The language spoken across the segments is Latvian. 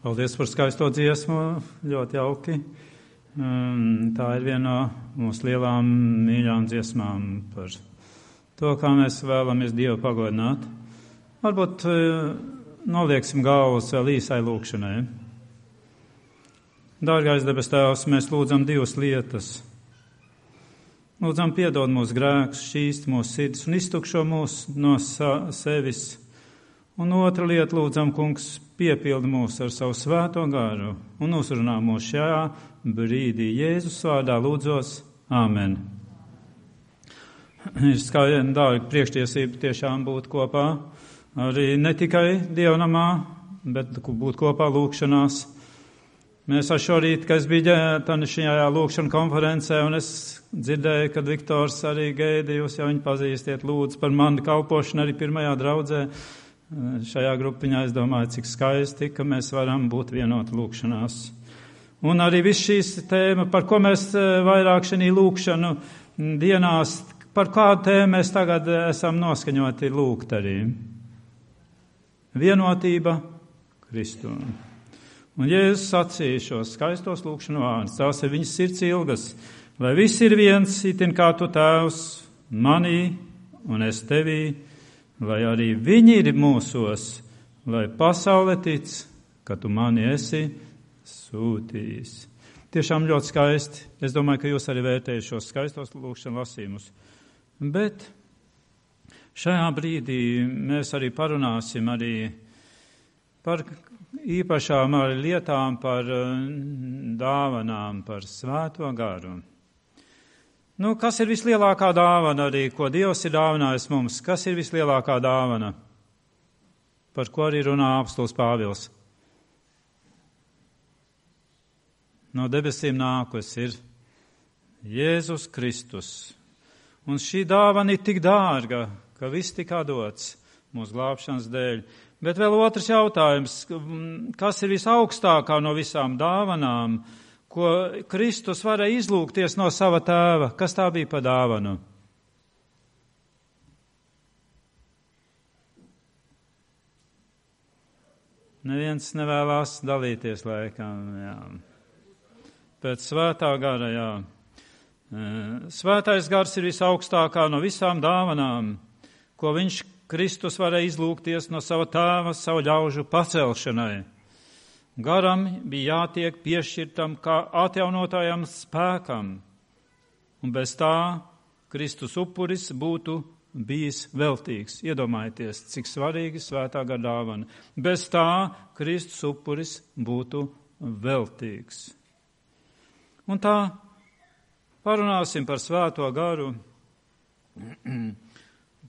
Paldies par skaisto dziesmu, ļoti jauki. Tā ir viena no mūsu lielām mīļām dziesmām par to, kā mēs vēlamies Dievu pagodināt. Varbūt nolieksim galvas vēl īsai lūkšanai. Dārgais debes Tēvs, mēs lūdzam divas lietas. Lūdzam piedod mūsu grēkus, šķīst mūsu sirds un iztukšo mūs no sevis. Un otra lieta, lūdzam, Kungs, piepildi mūs ar savu svēto garu un uzrunā mūs šajā brīdī. Jēzus vārdā lūdzos. Āmen. Ir skaidri, dārgi, priekštiesība tiešām būt kopā. Arī ne tikai dievnamā, bet būt kopā lūkšanās. Mēs šorīt, kad es biju šajā lūkšana konferencē, un es dzirdēju, kad Viktors arī gaida, jūs jau viņu pazīstiet, lūdzu par mani kalpošanu arī pirmajā draudzē. Šajā grupiņā es domāju, cik skaisti, ka mēs varam būt vienoti lūkšanās. Un arī viss šīs tēma, par ko mēs vairāk šī lūkšanu dienās, par kādu tēmu mēs tagad esam noskaņoti lūgt arī. Vienotība Kristū. Un Jēzus sacīja šos skaistos lūkšanu vārdus, tās ir viņas sirds ilgas, lai viss ir viens, itin kā tu Tēvs, manī un es tevī, lai arī viņi ir mūsos, lai pasaule tic, ka tu mani esi sūtījis. Tiešām ļoti skaisti. Es domāju, ka jūs arī vērtējat šos skaistos lūkšanu lasījumus. Bet šajā brīdī mēs arī parunāsim arī par īpašām arī lietām, par dāvanām, par svēto garu. Kas ir vislielākā dāvana arī, ko Dievs ir dāvinājis mums? Kas ir vislielākā dāvana? Par ko arī runā apostols Pāvils? No debesīm nākus ir Jēzus Kristus. Un šī dāvana ir tik dārga, ka viss tika dots mūsu glābšanas dēļ. Bet vēl otrs jautājums, kas ir visaugstākā no visām dāvanām, ko Kristus varēja izlūgties no sava tēva? Kas tā bija pa dāvanu? Neviens nevēlās dalīties laikam, jā. Pēc svētā gara, jā. Svētais gars ir visaugstākā no visām dāvanām, ko viņš Kristus varēja izlūgties no sava tēva, savu ļaužu pacelšanai. Garam bija jātiek piešķirtam kā atjaunotājam spēkam, un bez tā Kristus upuris būtu bijis veltīgs. Iedomājieties, cik svarīgi svētā gara dāvana. Bez tā Kristus upuris būtu veltīgs. Un tā parunāsim par svēto garu,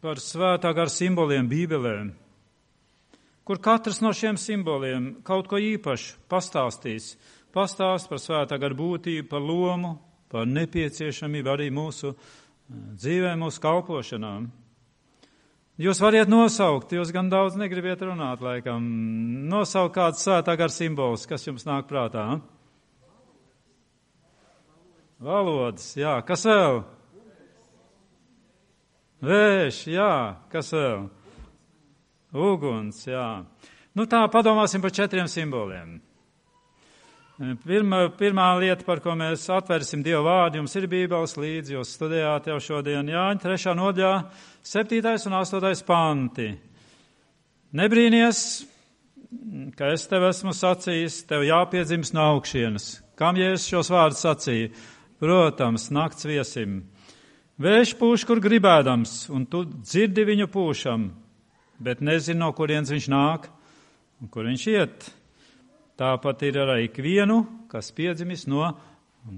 par svētā gara simboliem Bībelē, kur katrs no šiem simboliem kaut ko īpašu pastāstīs. Pastāst par svētā gara būtību, par lomu, par nepieciešamību arī mūsu dzīvē, mūsu kalpošanām. Jūs variet nosaukt, jūs gan daudz negribiet runāt, laikam. Nosaukt kāds svētā gara simbols, kas jums nāk prātā? Valodas, jā. Kas vēl? Vējš, jā. Kas vēl? Uguns, jā. Tā padomāsim par 4 simboliem. Pirmā lieta, par ko mēs atvērsim Dieva vārdu, jums ir Bībeles līdzi, jūs studējāt jau šodien Jāņa 3. nodaļā, 7. un 8. panti. Nebrīnies, ka es tev esmu sacījis, tev jāpiedzimst no augšienes. Kam Jēzus šos vārdus sacīja? Protams, nakts viesim. Vējš pūš, kur gribēdams, un tu dzirdi viņu pūšam, bet nezinu, no kurienes viņš nāk un kur viņš iet. Tāpat ir arī ikvienu, kas piedzimis no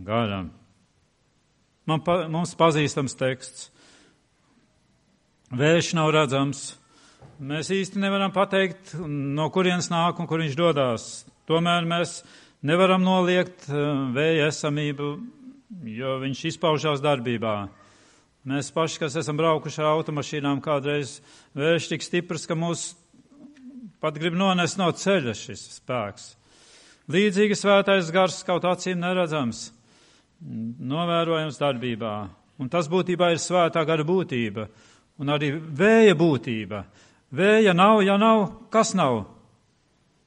gara. Mums pazīstams teksts. Vējš nav redzams. Mēs īsti nevaram pateikt, no kurienes nāk un kur viņš dodās. Tomēr mēs nevaram noliegt vēja esamību, jo viņš izpaužās darbībā. Mēs paši, kas esam braukuši ar automašīnām, kādreiz vējš tik stiprs, ka mūs pat grib nonest no ceļa šis spēks. Līdzīgi svētais gars kaut acīm neredzams, novērojams darbībā. Un tas būtībā ir svētā gara būtība un arī vēja būtība. Vēja nav, ja nav, kas nav?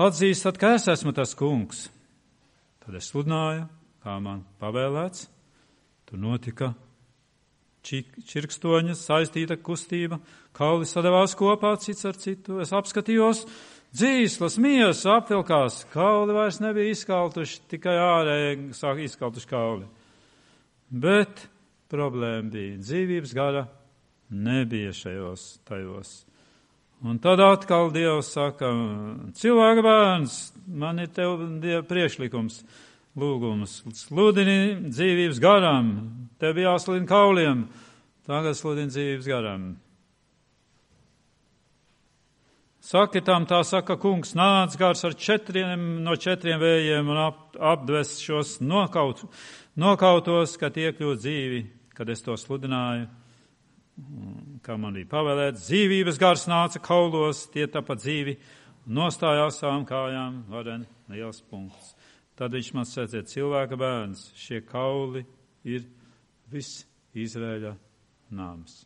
atzīstat, ka es esmu tas kungs. Tad es sludināju, kā man pavēlēts. Tur notika čirkstoņa saistīta kustība, kauli sadavās kopā cits ar citu. Es apskatījos, dzīslas, miesa apvilkās, kauli vairs nebija izkaltuši, tikai ārēji sāk izkaltuši kauli. Bet problēma bija, dzīvības gara nebija tajos. Un tad atkal Dievs saka, cilvēka bērns, man ir tev priekšlikums, lūgums, sludini dzīvības garam, tev bija jāsludina kauliem, tagad sludini dzīvības garam. Saki tam, tā saka kungs, nāc gars ar 4 vējiem un apdves šos nokautos, kad iekļūt dzīvi, kad es to sludināju, kā man bija pavēlēts. Dzīvības gars nāca kaulos, tie tāpat dzīvi, nostājās savām kājām, varen liels punkts. Tad viņš man sacīja, cilvēka bērns, šie kauli ir viss Izraēļa nams.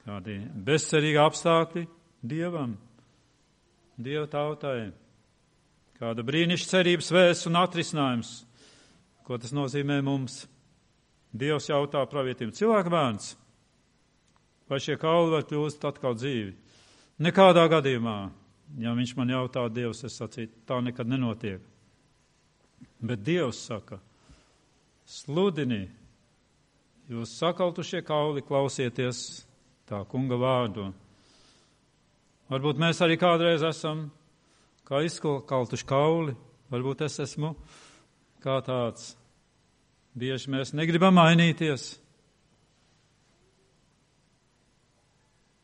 Kādi bezcerīgi apstākļi Dievam, Dieva tautai, kāda brīnišķīga cerības vēsts un atrisinājums, ko tas nozīmē mums. Dievs jautā pravietim, cilvēka bērns, vai šie kauli var kļūst atkal dzīvi? Nekādā gadījumā, ja viņš man jautā, Dievs, es sacītu, tā nekad nenotiek. Bet Dievs saka, sludini, jūs sakaltušie kauli, klausieties tā kunga vārdu. Varbūt mēs arī kādreiz esam kā izkaltuši kauli, varbūt es esmu kā tāds. Bieži mēs negribam mainīties.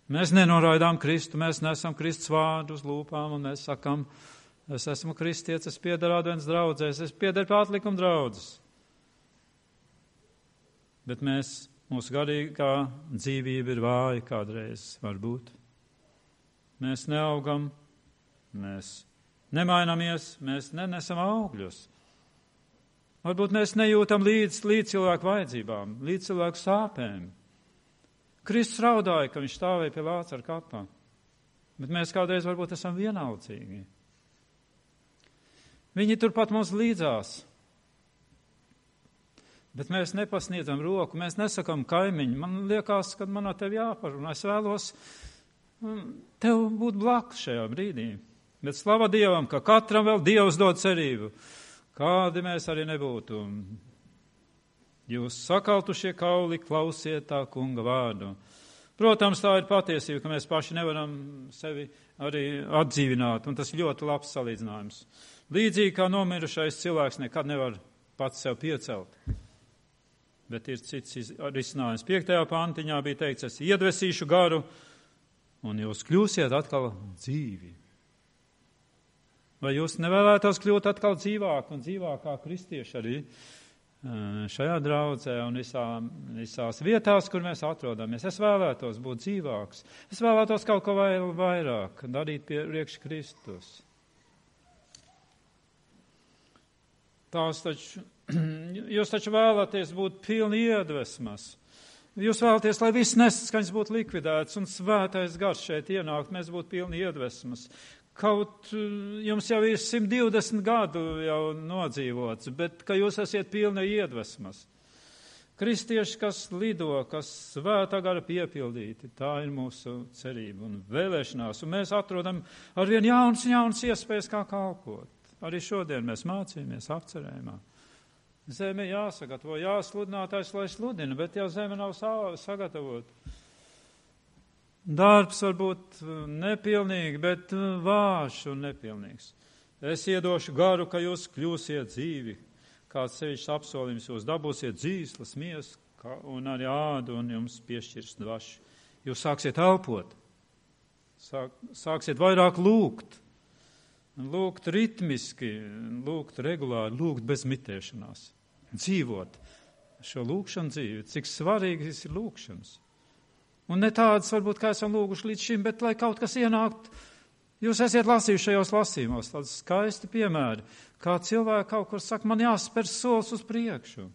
Mēs nenoraidām Kristu, mēs nesam Kristus vārdu uz lūpām, un mēs sakam, es esmu kristietis, es piederu advents draudzēs, es piederu pie atlikuma draudzes. Bet mūsu garīgā dzīvība ir vāja kādreiz, varbūt. Mēs neaugam, mēs nemainamies, mēs nenesam augļus. Varbūt mēs nejūtam līdz cilvēku vajadzībām, līdz cilvēku sāpēm. Kristus raudāja, ka viņš stāvēja pie Lācara kapā, bet mēs kādreiz varbūt esam vienaldzīgi. Viņi turpat mums līdzās, bet mēs nepasniedzam roku, mēs nesakam kaimiņu. Man liekas, ka man no tevi jāparunā, es vēlos tev būt blakus šajā brīdī. Bet slava Dievam, ka katram vēl Dievs dod cerību. Kādi mēs arī nebūtu. Jūs sakaltušie kauli, klausiet tā kunga vārdu. Protams, tā ir patiesība, ka mēs paši nevaram sevi arī atdzīvināt, un tas ļoti labs salīdzinājums. Līdzīgi kā nomirušais cilvēks nekad nevar pats sev piecelt. Bet ir cits risinājums. 5. pantiņā bija teikts, es iedvesīšu garu, un jūs kļūsiet atkal dzīvi. Vai jūs nevēlētos kļūt atkal dzīvāk un dzīvākā kristieši arī šajā draudzē un visās vietās, kur mēs atrodamies? Es vēlētos būt dzīvāks. Es vēlētos kaut ko vairāk darīt priekš Kristus. Jūs taču vēlaties būt pilni iedvesmas. Jūs vēlaties, lai viss nesaskaņas būtu likvidēts un svētais gars šeit ienākt, mēs būtu pilni iedvesmas. Kaut jums jau ir 120 gadu jau nodzīvots, bet ka jūs esiet pilni iedvesmas. Kristieši, kas lido, kas svētā gara piepildīti, tā ir mūsu cerība un vēlēšanās. Un mēs atrodam arvien jaunas iespējas, kā kalpot. Arī šodien mēs mācījāmies apcerējumā. Zeme jāsagatavo, jāsludinātājs, lai sludina, bet jau zeme nav sagatavota. Darbs var būt nepilnīgi, bet vājš un nepilnīgs. Es iedošu garu, ka jūs kļūsiet dzīvi. Kāds sevišķs apsolījums jūs dabūsiet dzīslas, miesu un arī ādu un jums piešķirs dvašu. Jūs sāksiet elpot, sāksiet vairāk lūgt. Lūgt ritmiski, lūgt regulāri, lūgt bez mitēšanās. Dzīvot šo lūgšanu dzīvi, cik svarīgas ir lūgšanas. Un ne tādas varbūt, kā esam lūguši līdz šim, bet lai kaut kas ienākt, jūs esiet lasījuši šajos lasījumos, tādas skaisti piemēri, kā cilvēki kaut kur saka, man jāspēr solis uz priekšu.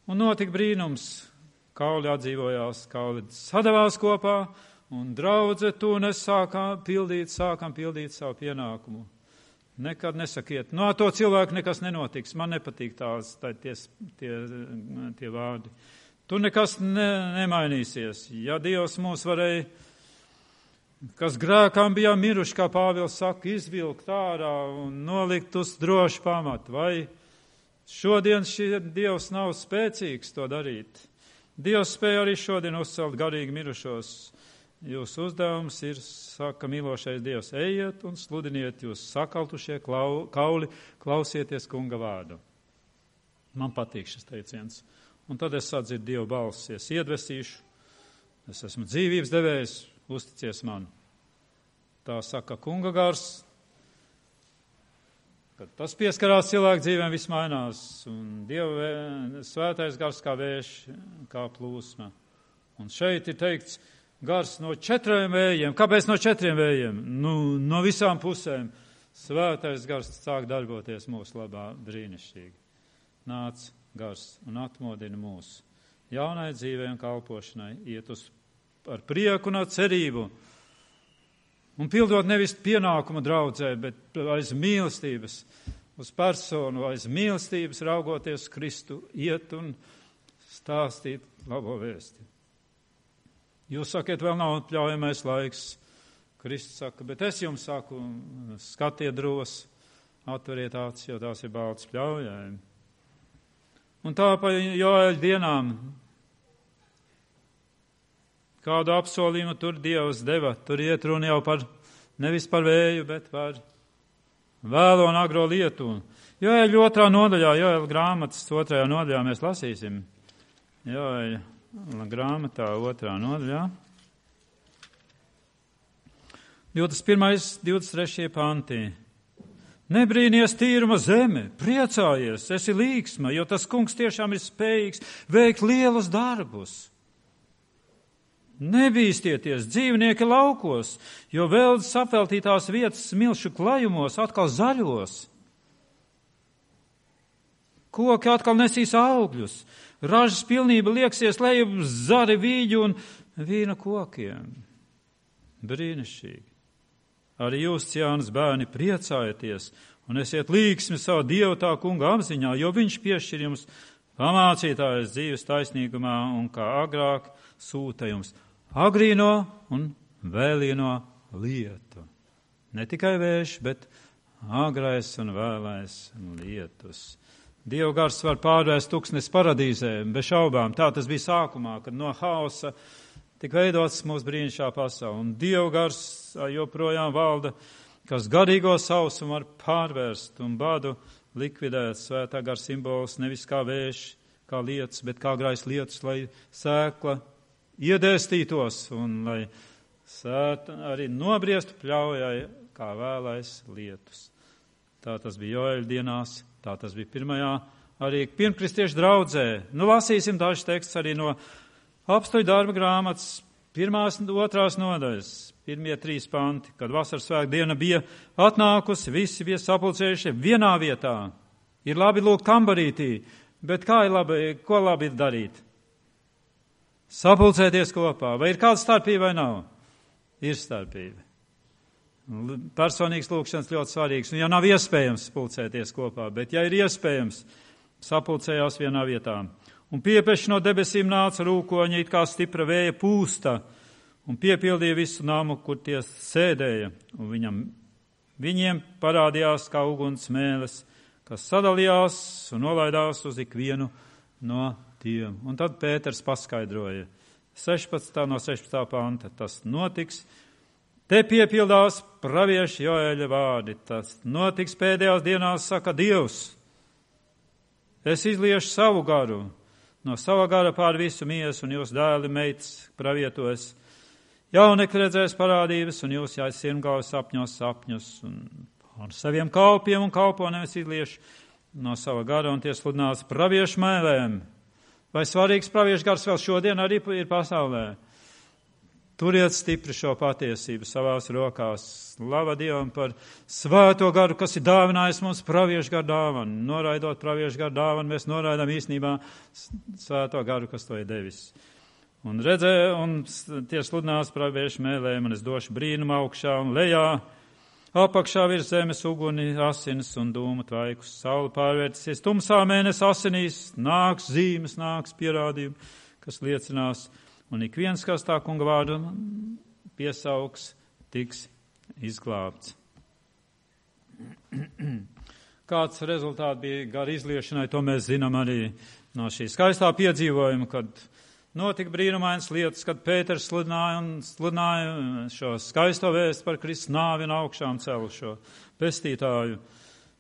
Un notika brīnums, kauli atdzīvojās, kauli sadavās kopā, Un draudze, tu un es sākam pildīt savu pienākumu. Nekad nesakiet, no to cilvēku nekas nenotiks, man nepatīk tie vārdi. Tu nekas nemainīsies. Ja Dievs mūs varēja, kas grēkām bijām miruši, kā Pāvils saka, izvilkt ārā un nolikt uz drošu pamatu, vai šodien Dievs nav spēcīgs to darīt? Dievs spēja arī šodien uzcelt garīgi mirušos. Jūsu uzdevums ir, saka mīlošais Dievs, ejiet un sludiniet jūs sakaltušie kauli, klausieties kunga vārdu. Man patīk šis teiciens. Un tad es sadzirdu Dievu balsi, es iedvesīšu, es esmu dzīvības devējs, uzticies man. Tā saka kunga gars, kad tas pieskarās cilvēku dzīvēm, viss mainās, un Dieva svētais gars kā vējš, kā plūsma. Un šeit ir teikts, gars no 4 vējiem. Kāpēc no 4 vējiem? No visām pusēm. Svētais gars sāk darboties mūsu labā brīnišķīgi. Nāc gars un atmodina mūs jaunai dzīvei un kalpošanai, iet ar prieku un ar cerību. Un pildot nevis pienākumu draudzē, bet aiz mīlestības uz personu, aiz mīlestības raugoties Kristu, iet un stāstīt labo vēsti. Jūs sakiet, vēl nav atļaujamais laiks. Kristus saka, bet es jums saku, skatiet dros, atveriet acis, jo tās ir balts pļaujai. Un tā pa Joēļa dienām, kādu apsolījumu tur Dievs deva, tur iet runa jau nevis par vēju, bet par vēlo un agro lietu. Joēļa 2. nodaļā, Joēļa grāmatas 2. nodaļā mēs lasīsim. Joēļa grāmatā 2. nodaļā. 21. 23. pantī. Nebrīnies tīruma zeme, priecājies, esi līgsma, jo tas kungs tiešām ir spējīgs veikt lielus darbus. Nebīstieties, dzīvnieki laukos, jo veldzes apveltītās vietas smilšu klajumos atkal zaļos. Koki atkal nesīs augļus, ražas pilnība lieksies lejup zari vīģu un vīna kokiem. Brīnišķīgi. Arī jūs, Ciānas bērni, priecājieties un esiet līgsmi savu Dievu tā kunga apziņā, jo viņš piešķir jums pamācītājas dzīves taisnīgumā un kā agrāk sūta jums agrīno un vēlīno lietu. Ne tikai vējš, bet agrais un vēlais lietus. Dieva gars var pārvērst tuksnes paradīzē, bez šaubām. Tā tas bija sākumā, kad no hausa tik veidots mūsu brīnišķā pasaule. Un Dieva gars joprojām valda, kas garīgo sausumu var pārvērst un badu likvidēt. Svētā gara simbols nevis kā vējš, kā lietus, bet kā agrais lietus, lai sēkla iedēstītos un lai sēta arī nobriestu pļaujai kā vēlais lietus. Tā tas bija Joēļa dienās, tā tas bija pirmajā arī pirmkristiešu draudzē. Lasīsim dažus tekstus arī no Apstuļu darba grāmatas 1. un 2. nodaļas, 1. 3 panti, kad vasaras svētku diena bija atnākusi, visi bija sapulcējuši vienā vietā. Ir labi lūgt kambarītī, bet kā ir labi, ko labi ir darīt? Sapulcēties kopā. Vai ir kāda starpība vai nav? Ir starpība. Personīgs lūkšanas ļoti svarīgs, un ja nav iespējams pulcēties kopā, bet ja ir iespējams, sapulcējās vienā vietā. Un piepeši no debesīm nāca rūkoņi, it kā stipra vēja pūsta, un piepildīja visu namu, kur tie sēdēja. Un viņiem parādījās kā uguns mēles, kas sadalījās un nolaidās uz ikvienu no tiem. Un tad Pēters paskaidroja, 16. no 16. panta, tas notiks. Te piepildās pravieša Joēļa vārdi, tas notiks pēdējās dienās, saka Dievs. Es izliešu savu garu. No sava gara pār visu miesu, un jūs dēli meitas pravietos. Jaunekļi redzēs parādības, un jūs jāies sirmgāvis sapņus, un ar saviem kalpiem un kalponēm es izliešu no sava gara, un tie sludinās praviešu mēlēm. Vai svarīgs praviešu gars vēl šodien arī ir pasaulē? Turiet stipri šo patiesību savās rokās. Slava Dievam par svēto garu, kas ir dāvinājis mums praviešu garu dāvanu. Noraidot praviešu garu dāvanu, mēs noraidām īstenībā svēto garu, kas to ir devis. Un redzēju, un tie sludinās praviešu mēlēm, un es došu brīnumu augšā un lejā. Apakšā virs zemes uguni, asinis un dūmu tvaikus. Saule pārvērtīsies tumsā, mēnesi asinīs, nāks zīmes, nāks pierādījumi, kas liecinās. Un ik viens, kas tā kunga vārdu piesaugs, tiks izglābts. Kāds rezultāts bija gara izliešanai, to mēs zinām arī no šī skaistā piedzīvojuma, kad notika brīnumainas lietas, kad Pēters sludināja šo skaisto vēstu par Kristus nāvi un augšām celu šo pestītāju.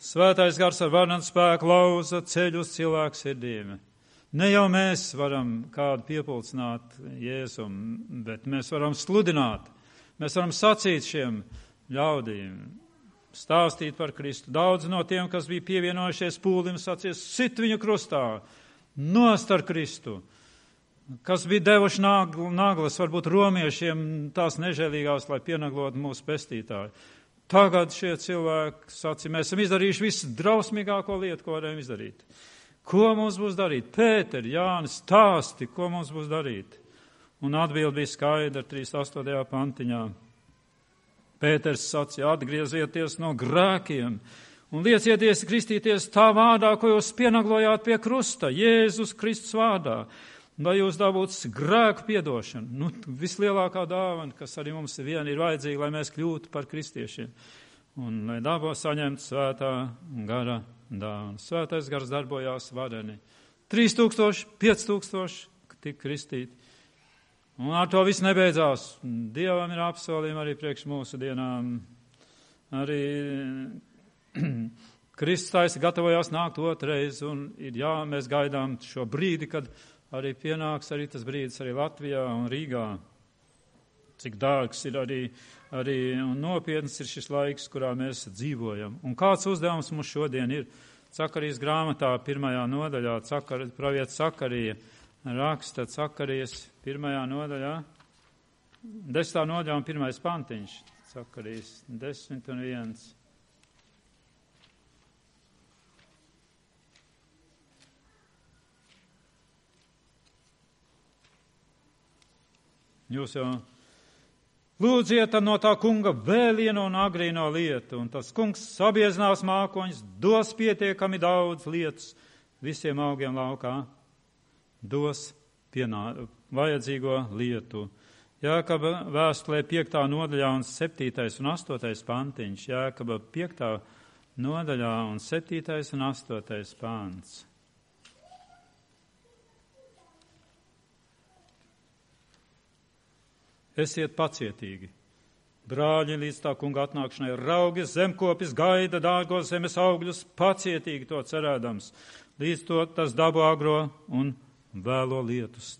Svētais gars ar varenu spēku lauza ceļu uz cilvēku sirdīm. Ne jau mēs varam kādu piepulcināt Jēzum, bet mēs varam sludināt. Mēs varam sacīt šiem ļaudīm, stāstīt par Kristu. Daudz no tiem, kas bija pievienojušies pūlim, sacīs, sit viņu krustā, nost ar Kristu. Kas bija devuši naglas, varbūt romiešiem tās nežēlīgās, lai pienaglotu mūsu pestītāju. Tagad šie cilvēki sacīja, mēs esam izdarījuši visu drausmīgāko lietu, ko varējām izdarīt. Ko mums būs darīt? Pēteri, Jānis, stāsti, ko mums būs darīt? Un atbildi bija skaidra 38. pantiņā. Pēters sacīja, atgriezieties no grēkiem un liecieties kristīties tā vārdā, ko jūs pienaglojāt pie krusta, Jēzus Kristus vārdā, lai jūs dabūtu grēku piedošanu. Vislielākā dāvana, kas arī mums vien ir vajadzīga, lai mēs kļūtu par kristiešiem. Un lai dabūtu saņemt svētā gara dāvana. Svētais gars darbojās vareni. 3000, 5000 tika kristīti. Un ar to viss nebeidzās. Dievam ir apsolījumi arī priekš mūsu dienām. Arī Kristus taisa gatavojās nākt otrais, un mēs gaidām šo brīdi, kad arī pienāks arī tas brīdis arī Latvijā un Rīgā. Cik dārgs ir arī un nopietns ir šis laiks, kurā mēs dzīvojam. Un kāds uzdevums mums šodien ir? Cakarijas grāmatā 1. nodaļā, pravietis Sakarija raksta Sakarijas 1. nodaļā, 10. nodaļā un 1. pantiņš, Sakarijas 10:1. Jūs jau lūdziet no tā kunga vēlienu un agrīno lietu, un tas kungs sabiezinās mākoņus, dos pietiekami daudz lietas visiem augiem laukā, dos vajadzīgo lietu. Jākaba vēstulē 5. nodaļā un 7. un 8. pantiņš, Jākaba 5. nodaļā un 7. un 8. pants. Esiet pacietīgi, brāļi, līdz tā kunga atnākšanai, raugi, zemkopis gaida dārgos zemes augļus, pacietīgi to cerēdams, līdz to tas dabu agro un vēlo lietus.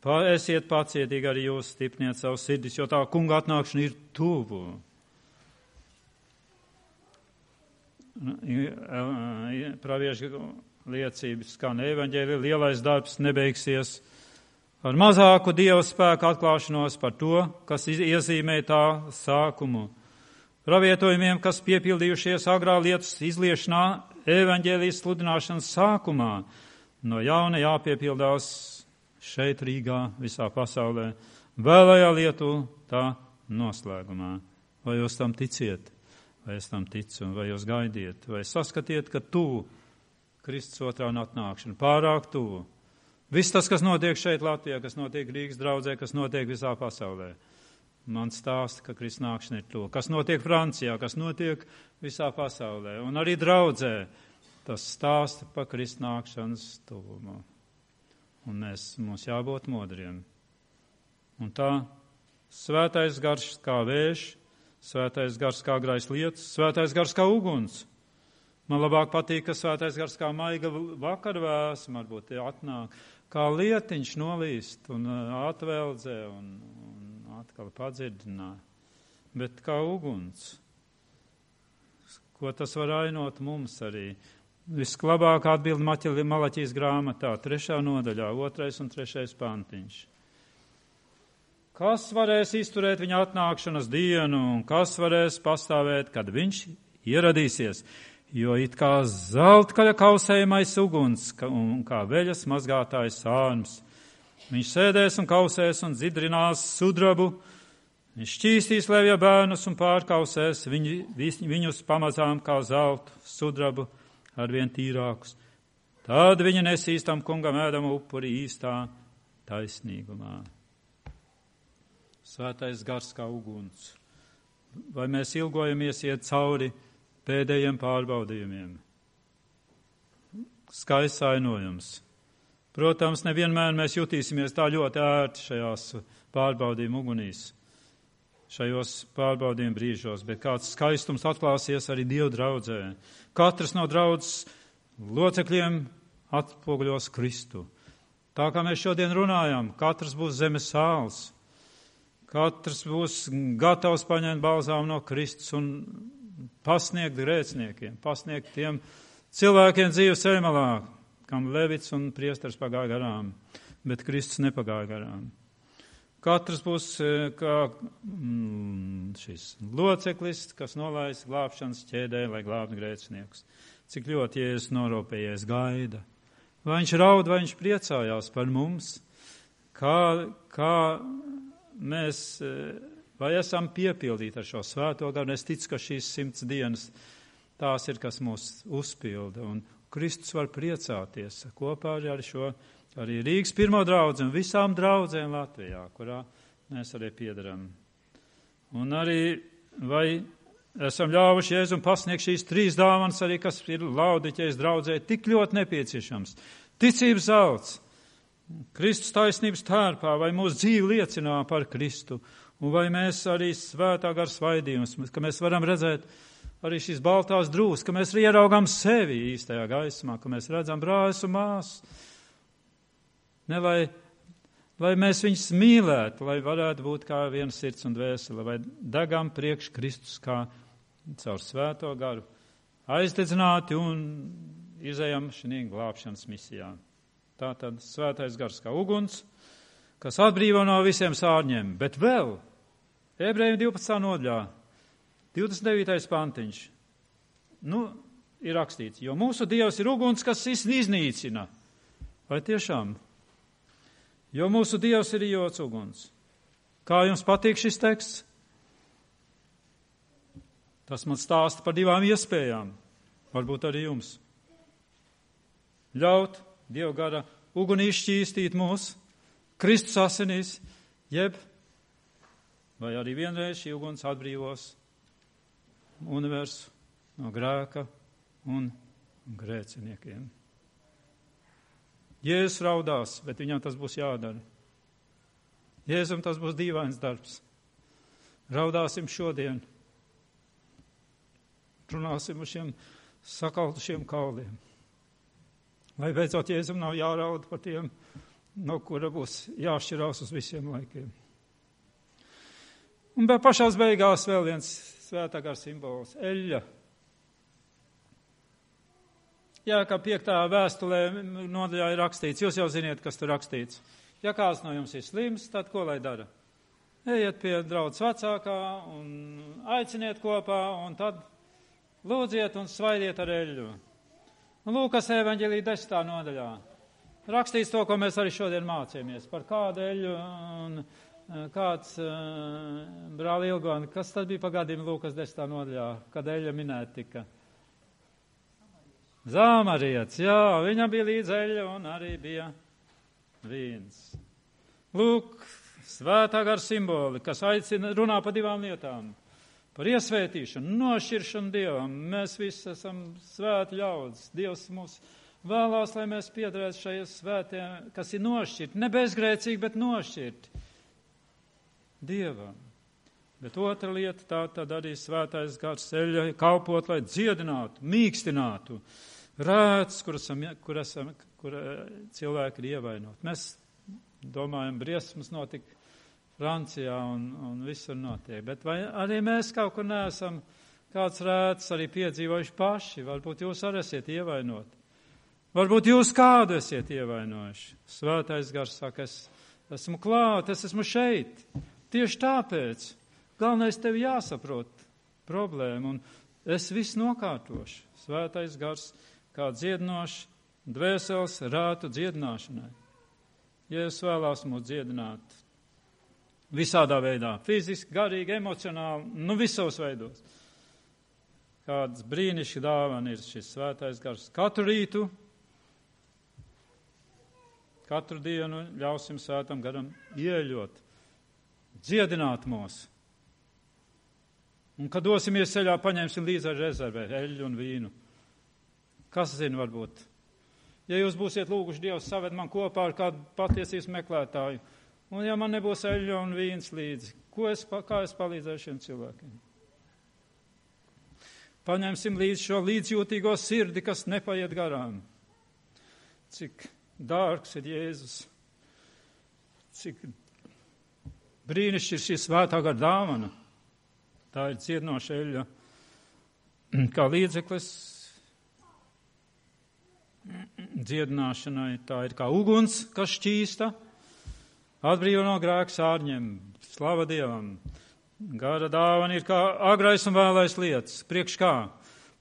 Esiet pacietīgi arī jūs, stipniet savu sirdis, jo tā kunga atnākšana ir tuvu. Praviešu liecības skan evaņģēlija, lielais darbs nebeigsies ar mazāku Dieva spēku atklāšanos par to, kas iezīmē tā sākumu. Pravietojumiem, kas piepildījušies agrā lietus izliešanā, evaņģēlijas sludināšanas sākumā, no jauna jāpiepildās šeit Rīgā, visā pasaulē, vēlējā lietu tā noslēgumā. Vai jūs tam ticiet, vai es tam ticu, vai jūs gaidiet, vai saskatiet, ka tuvu Kristus otrā atnākšana, pārāk tuvu. Viss tas, kas notiek šeit Latvijā, kas notiek Rīgas draudzē, kas notiek visā pasaulē. Man stāsta, ka Kristus nākšana ir to. Kas notiek Francijā, kas notiek visā pasaulē. Un arī draudzē tas stāsta par Kristus nākšanas tuvumu. Un mums jābūt modriem. Un tā svētais gars kā vējš, svētais gars kā grais lietus, svētais gars kā uguns. Man labāk patīk, ka svētais gars kā maiga vakarvēsma varbūt atnāk, kā lietiņš nolīst un atveldzē un atkal padzirdinā, bet kā uguns. Ko tas var ainot mums arī? Visklabāk atbild Malaķijas grāmatā, 3. nodaļā, 2. un 3. pantiņš. Kas varēs izturēt viņa atnākšanas dienu un kas varēs pastāvēt, kad viņš ieradīsies? Jo it kā zeltkaļa kausējamais uguns un kā veļas mazgātājs sārms, Viņš sēdēs un kausēs un dzidrinās sudrabu. Viņš šķīstīs levja bērnus un pārkausēs viņus pamazām kā zeltu sudrabu arvien tīrākus. Tad viņi nesīs tam kungam ēdamu upuri īstā taisnīgumā. Svētais gars kā uguns. Vai mēs ilgojamies iet cauri pēdējiem pārbaudījumiem? Skaists ainojums. Protams, nevienmēr mēs jutīsimies tā ļoti ērti šajās pārbaudījuma ugunīs, šajos pārbaudījuma brīžos, bet kāds skaistums atklāsies arī Dievu draudzē. Katrs no draudzes locekļiem atspoguļos Kristu. Tā kā mēs šodien runājam, katrs būs zemes sāls, katrs būs gatavs paņemt balzām no Kristus un pasniegt grēciniekiem, pasniegt tiem cilvēkiem dzīves ceļmalā, kam Levits un priesteris pagāja garām, bet Kristus nepagāja garām. Katrs būs kā šis loceklis, kas nolaiž glābšanas ķēdē, lai glābtu grēciniekus. Cik ļoti Jēzus norūpējies gaida. Vai viņš raud, vai viņš priecājās par mums? Kā mēs, vai esam piepildīti ar šo svēto garu? Es ticu, ka šīs 100 dienas tās ir, kas mūs uzpilda. Un Kristus var priecāties kopā ar šo, arī Rīgas pirmo draudzi un visām draudzēm Latvijā, kurā mēs arī piedaram. Un arī, vai esam ļāvuši Jēzum pasniegt šīs 3 dāvanas arī, kas ir Laodiķejas draudzē tik ļoti nepieciešams. Ticības zelts, Kristus taisnības tērpā, vai mūsu dzīve liecinā par Kristu, un vai mēs arī svētā gara svaidījums, ka mēs varam redzēt arī šīs baltās drūs, ka mēs ieraugām sevi īstajā gaismā, ka mēs redzam brāļus un māsas. Ne, lai mēs viņus mīlētu, lai varētu būt kā viena sirds un dvēsele, vai degam priekš Kristus kā caur svēto garu, aizdedzināti un izējam šī glābšanas misijā. Tātad svētais gars kā uguns, kas atbrīvo no visiem sārņiem, bet vēl Ebrejiem 12. nodaļā, 29. pantiņš, ir rakstīts, jo mūsu Dievs ir uguns, kas iznīcina. Vai tiešām? Jo mūsu Dievs ir iejots uguns. Kā jums patīk šis teksts? Tas man stāsta par 2 iespējām. Varbūt arī jums. Ļaut Dieva gara uguni izšķīstīt mūs, Kristus asinīs, jeb vai arī vienreiz šī uguns atbrīvos universu no grēka un grēciniekiem. Jēzus raudās, bet viņam tas būs jādara. Jēzum tas būs dīvains darbs. Raudāsim šodien. Runāsim uz šiem sakaltušiem kauliem. Lai beidzot Jēzum nav jāraud par tiem, no kura būs jāšķirās uz visiem laikiem. Un pašās beigās vēl viens svētā gara simbols - eļļa. Jā, kā 5. vēstulē nodaļā ir rakstīts, jūs jau ziniet, kas tur rakstīts. Ja kāds no jums ir slims, tad ko lai dara? Ejiet pie draudzes vecākā un aiciniet kopā, un tad lūdziet un svaidiet ar eļļu. Lūkas evaņģēlī 10. nodaļā rakstīts to, ko mēs arī šodien mācījāmies, par kādu eļļu un kāds brāli Ilgoni, kas tad bija pagādījumi Lūkas 10. nodaļā, kad eļļa minēta tika? Zamarietis, jā, viņam bija līdz eļļa un arī bija vīns. Lūk, svētā gara simboli, kas aicina runā par 2 lietām. Par iesvētīšanu, nošķiršanu Dievam. Mēs visi esam svēti ļaudis. Dievs mūs vēlās, lai mēs piederētu šajiem svētiem, kas ir nošķirti. Ne bezgrēcīgi, bet nošķirti Dievam. Bet otra lieta, tā tad arī svētais gars eļļa kalpot, lai dziedinātu, mīkstinātu rēts, kur cilvēki ir ievainoti. Mēs domājam, briesmas notika Francijā un visur notiek. Bet vai arī mēs kaut kur neesam kāds rēts arī piedzīvojuši paši? Varbūt jūs arī esat ievainoti. Varbūt jūs kādu esat ievainojuši. Svētais gars saka, es esmu klāt, es esmu šeit. Tieši tāpēc galvenais tev jāsaprot problēmu, un es visu nokārtošu. Svētais gars kā dziedinošs dvēseles rātu dziedināšanai. Jēzus vēlās mūs dziedināt visādā veidā, fiziski, garīgi, emocionāli, visos veidos. Kāds brīnišķīgs dāvana ir šis svētais gars. Katru rītu, katru dienu ļausim svētam garam ieļot, dziedināt mūs. Un, kad dosimies ceļā, paņemsim līdzi ar rezervē eļļu un vīnu. Kas zina, varbūt? Ja jūs būsiet lūguši Dievs saved man kopā ar kādu patiesības meklētāju, un ja man nebūs eļļa un vīns līdzi, kā es palīdzēšu šiem cilvēkiem? Paņemsim līdzi šo līdzjūtīgo sirdi, kas nepaiet garām. Cik dārgs ir Jēzus, cik brīnišķīgi ir šī svētā gara dāvana. Tā ir dziedinoša eļļa, kā līdzeklis dziedināšanai. Tā ir kā uguns, kas šķīsta, atbrīvo no grēka sārņiem, slava Dievam. Gara dāvana ir kā agrais un vēlais lietas. Priekš kā?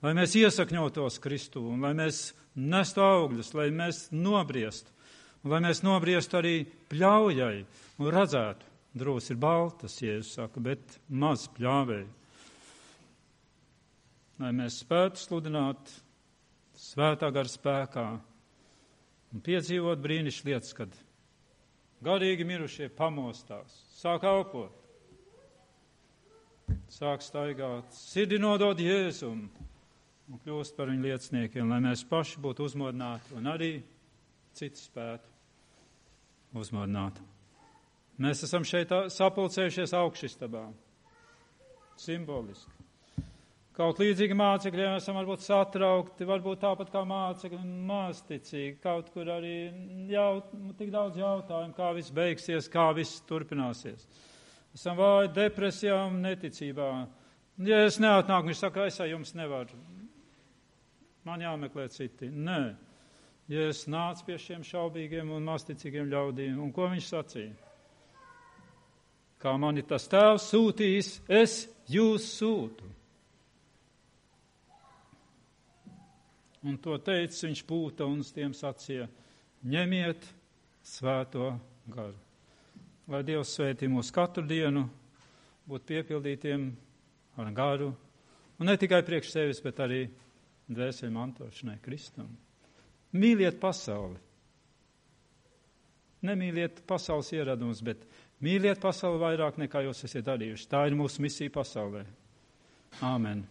Lai mēs iesakņotos Kristū, un lai mēs nestu augļus, lai mēs nobriestu, un lai mēs nobriestu arī pļaujai un redzētu. Drūs ir baltas, Jēzus saka, bet maz pļāvēji. Lai mēs spētu sludināt svētā gara spēkā un piedzīvot brīnišķīgas lietas, kad garīgi mirušie pamostās, sāk elpot, sāk staigāt, sirdi nodod Jēzum un kļūst par viņu lieciniekiem, lai mēs paši būtu uzmodināti un arī citi spētu uzmodināt. Mēs esam šeit sapulcējušies augšistabā, simboliski. Kaut līdzīgi mācekļi esam varbūt satraukti, varbūt tāpat kā mācekļi, māsticīgi, kaut kur arī tik daudz jautājumu, kā viss beigsies, kā viss turpināsies. Esam vāji depresijā un neticībā. Ja es neatnāku, viņš saka, es ar jums nevaru. Man jāmeklē citi. Nē. Ja es nācu pie šiem šaubīgiem un masticīgiem ļaudīm, un ko viņš sacīja? Kā mani tas tēvs sūtījis, es jūs sūtu. Un to teicis viņš pūta un uz tiem sacīja, ņemiet svēto garu. Lai Dievs svētī mūs katru dienu, būt piepildītiem ar garu, un ne tikai priekš sevis, bet arī dvēseli mantošanai Kristum. Mīliet pasauli. Nemīliet pasaules ieradumus, bet mīliet pasauli vairāk nekā jūs esat darījuši. Tā ir mūsu misija pasaulē. Āmen.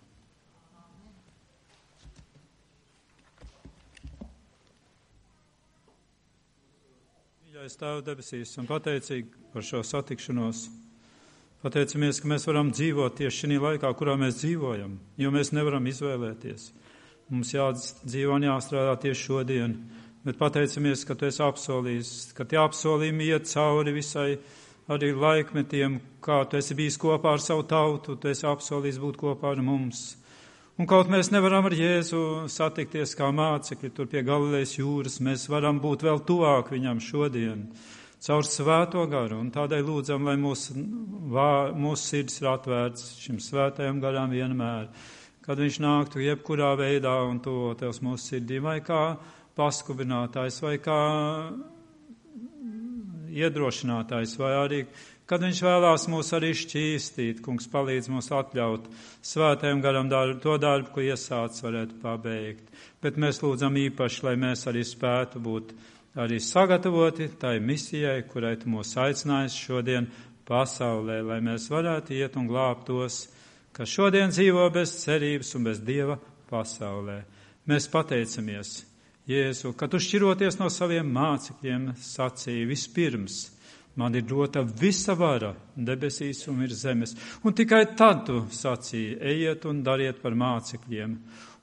Mīļais Tēvs debesīs, un pateicīgi par šo satikšanos. Pateicamies, ka mēs varam dzīvot tieši šī laikā, kurā mēs dzīvojam, jo mēs nevaram izvēlēties. Mums jādzīvo un jāstrādā tieši šodien, bet pateicamies, ka Tu esi apsolījis, ka tie apsolījumi iet cauri visai arī laikmetiem, kā Tu esi bijis kopā ar savu tautu, Tu esi apsolījis būt kopā ar mums. Un kaut mēs nevaram ar Jēzu satikties kā mācekļi tur pie Galilejas jūras, mēs varam būt vēl tuvāk viņam šodien, caur svēto garu, un tādēļ lūdzam, lai mūsu sirds ir atvērts šim svētajam garam vienmēr, kad viņš nāktu jebkurā veidā un tuvotos mūsu sirdīm, vai kā paskubinātājs, vai kā iedrošinātājs, vai arī, kad viņš vēlās mūs arī šķīstīt, kungs palīdz mums atļaut svētajam garam to darbu, ko iesācis varētu pabeigt. Bet mēs lūdzam īpaši, lai mēs arī spētu būt arī sagatavoti tai misijai, kurai Tu mūs aicinājis šodien pasaulē, lai mēs varētu iet un glābt tos, kas šodien dzīvo bez cerības un bez Dieva pasaulē. Mēs pateicamies, Jēzu, ka Tu šķiroties no saviem mācekļiem sacīja vispirms, man ir dota visa vara debesīs un virs zemes, un tikai tad Tu sacīji, ejiet un dariet par mācekļiem.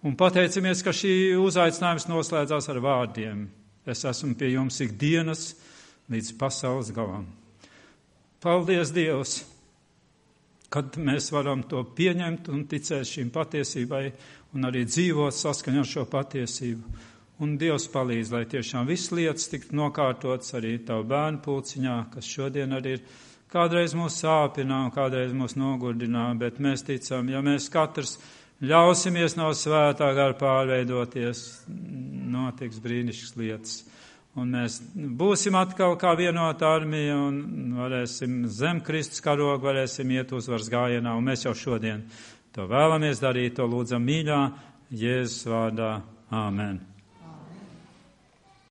Un pateicamies, ka šī uzaicinājums noslēdzās ar vārdiem. Es esmu pie jums ikdienas līdz pasaules galam. Paldies, Dievs, kad mēs varam to pieņemt un ticēt šīm patiesībai un arī dzīvot saskaņā ar šo patiesību. Un Dievs palīdz, lai tiešām viss lietas tiktu nokārtotas arī Tavu bērnu pulciņā, kas šodien arī ir kādreiz mūs sāpinā un kādreiz mūs nogurdinā, bet mēs ticam, ja mēs katrs ļausimies no svētā gara pārveidoties, notiks brīnišķīgas lietas. un mēs būsim atkal kā vienota armija un varēsim zem Kristus karoga, varēsim iet uzvaras gājienā, un mēs jau šodien to vēlamies darīt, to lūdzam mīļā Jēzus vārdā. Āmen.